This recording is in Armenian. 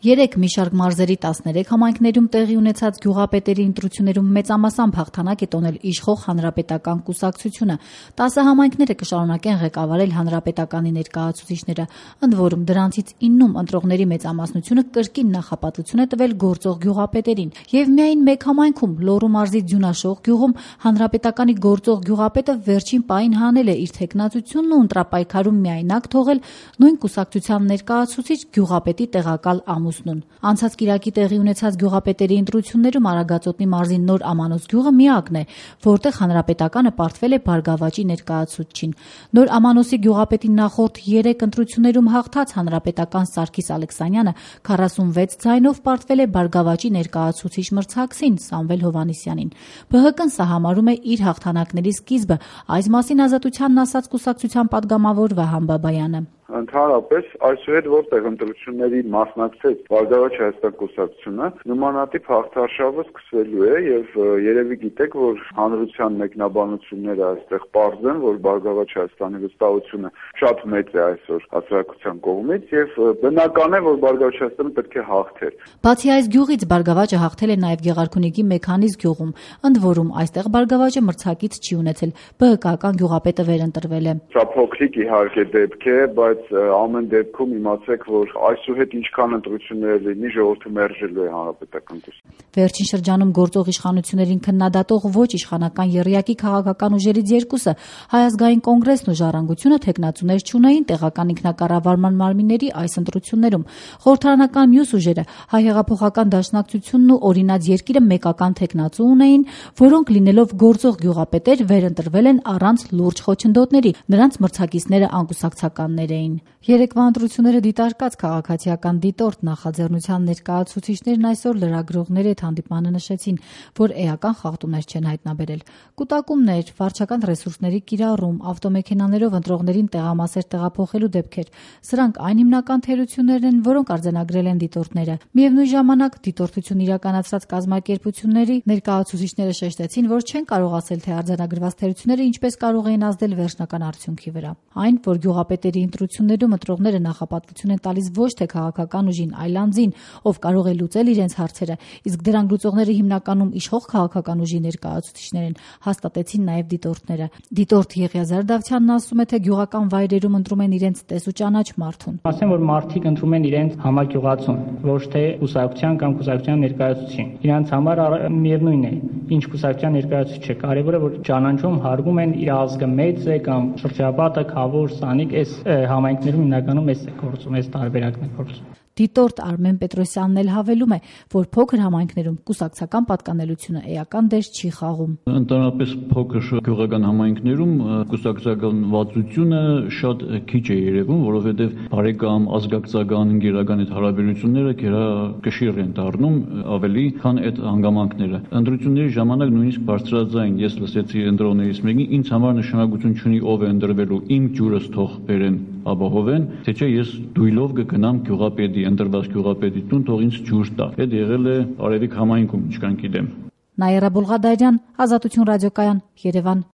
Երեկ մի շարք մարզերի 13 համայնքներում տեղի ունեցած գյուղապետերի ընտրություններում մեծամասամբ հաղթանակ է տոնել իշխող Հանրապետական կուսակցությունը։ 10 համայնքները կշարունակեն ղեկավարել Հանրապետականի ներկայացուցիչները, ընդ որում դրանցից 9-ում ընտրողների մեծամասնությունը կրկին նախապատվություն է տվել գործող գյուղապետերին։ Եվ միայն մեկ համայնքում՝ Լոռու մարզի Ձյունաշող գյուղում, Հանրապետականի գործող գյուղապետը վերջին պահին հանել է իր թեկնածությունն ու ընտրապայքարում միայնակ թողել նույն կուսակցության ներկայացուցիչ գյուղապետի տեղակալ ամուսնուն։ Անցած կիրակի տեղի ունեցած գյուղապետերի ընտրություններում Արագածոտնի մարզի Նոր Ամանոց գյուղը միակն է, որտեղ Հանրապետականը պարտվել է Բարգավաճի ներկայացուցչին։ Նոր Ամանոսի գյուղապետի նախորդ 3 ընտրություններում հաղթած Հանրապետական Սարգիս Ալեքսանյանը 46 ձայնով պարտվել է Բարգավաճի ներկայացուցիչ մրցակցին Սամվել Հովհաննիսյանին։ ԲՀԿ-ն սա համարում է իր հաղթանակների սկիզբը, այս մասին Ազատությանն ասաց կուսակցության падգամավոր Վահան Բաբայանը։ Ընդհանրապես այսուհետ որտեղ ընտրությունների մասնակցեց Բարգավաճ Հայաստան կուսակցությունը, նմանատիպ հաղթարշավը սկսվելու է եւ երևի գիտեք, որ հանրության մեկնաբանությունները այստեղ պարզ են, որ Բարգավաճ Հայաստանի վստահությունը շատ մեծ է այսօր հասարակության կողմից եւ բնական է, որ Բարգավաճ Հայաստանը պետք է հաղթեր։ Բացի այս գյուղից Բարգավաճը հաղթել է նաեւ Գեղարքունիքի Մեքանիզ գյուղում, ընդ որում այստեղ Բարգավաճը մրցակից չի ունեցել, ԲՀԿ-ական գյուղապետը վերընտրվել է։ Սա փոքրիկ իհարկե դեպք է, բայց ամեն դեպքում իմացեք, որ այսուհետ ինչքան ընտրություններ լինի, ժողովուրդը մերժելու է Հանրապետական կուսակցությունը։ Վերջին շրջանում գործող իշխանություններին քննադատող ոչ իշխանական եռյակի քաղաքական ուժերից երկուսը, Հայ ազգային կոնգրեսն ու Ժառանգությունը, թեկնածուներ չունեին տեղական ինքնակառավարման մարմինների այս ընտրություններում։ Խորհրդարանական մյուս ուժերը, Հայ հեղափոխական դաշնակցությունն ու Օրինաց երկիրը մեկական թեկնածու ունեին, որոնք լինելով գործող գյուղապետեր վերընտրվել են առանց լուրջ խոչընդոտների, նրանց մրցակիցները անկուսակցականներ էին։ Երեկվա ընտրությունները դիտարկած քաղաքացիական դիտորդ նախաձեռնության ներկայացուցիչներն այսօր լրագրողների հետ հանդիպմանը նշեցին, որ էական խախտումներ չեն հայտնաբերել։ Կուտակումներ, վարչական ռեսուրսների կիրառում, ավտոմեքենաներով ընտրողներին տեղամասեր տեղափոխելու դեպքեր, սրանք այն հիմնական թերություններն են, որոնք արձանագրել են դիտորդները։ Միևնույն ժամանակ դիտորդություն իրականացրած կազմակերպությունների ներկայացուցիչները շեշտեցին, որ չեն կարող ասել, թե արձանագրված թերությունները ինչպես կարող էին ազդել վերջնական արդյունքի վրա։ Այն, որ գյուղապետերի ընտրություններում ընտրողները նախապատվություն են տալիս ոչ թե քաղաքական ուժին, այլ անձին, ով կարող է լուծել իրենց հարցերը, իսկ դրանք լուծողները հիմնականում իշխող քաղաքական ուժի ներկայացուցիչներ են, հաստատեցին նաև դիտորդները։ Դիտորդ Եղիազար Դավթյանն ասում է, թե գյուղական վայրերում ընտրում են իրենց տես ու ճանաչ մարդուն։ Ասեմ, որ մարդիկ ընտրում են իրենց համագյուղացուն, ոչ թե կուսակցության կամ կուսակցության ներկայացուցիչին։ Իրանց համար միևնույն է, ինչ կուսակցության ներկայացուցիչ է, կարևորը որ ճանաչում հարգում են իր ազգը մեծ է կամ շրջապատը, Խավոր, Սանիկ, այս համայնքներում հիմնականում էս է գործում, այս տարբերակն է գործում։ Դիտորդ Արմեն Պետրոսյանն էլ հավելում է, որ փոքր համայնքներում կուսակցական պատկանելությունը էական դեր չի խաղում։ Ընդհանրապես փոքր գյուղական համայնքներում կուսակցական վատությունը շատ քիչ է երևում, որովհետև բարեկամ, ազգակցական, ընկերական այդ հարաբերությունները գերակշիռ են դառնում ավելի, քան այդ հանգամանքները։ Ընտրությունների ժամանակ նույնիսկ բարձրաձայն ես լսեցի ընտրողներից մեկին, ինձ համար նշանակություն չունի ով է ընտրվելու, իմ ջուրս թող բերեն, ապահովեն, թե չէ ես դույլով կգնամ գյուղապետի, ընտրված գյուղապետի տուն, թող ինձ ջուր տա։ Այդ եղել է Արևիկ համայնքում, ինչքան գիտեմ։ Նաիրա Բուլղադարյան, Ազատություն ռադիոկայան, Երևան։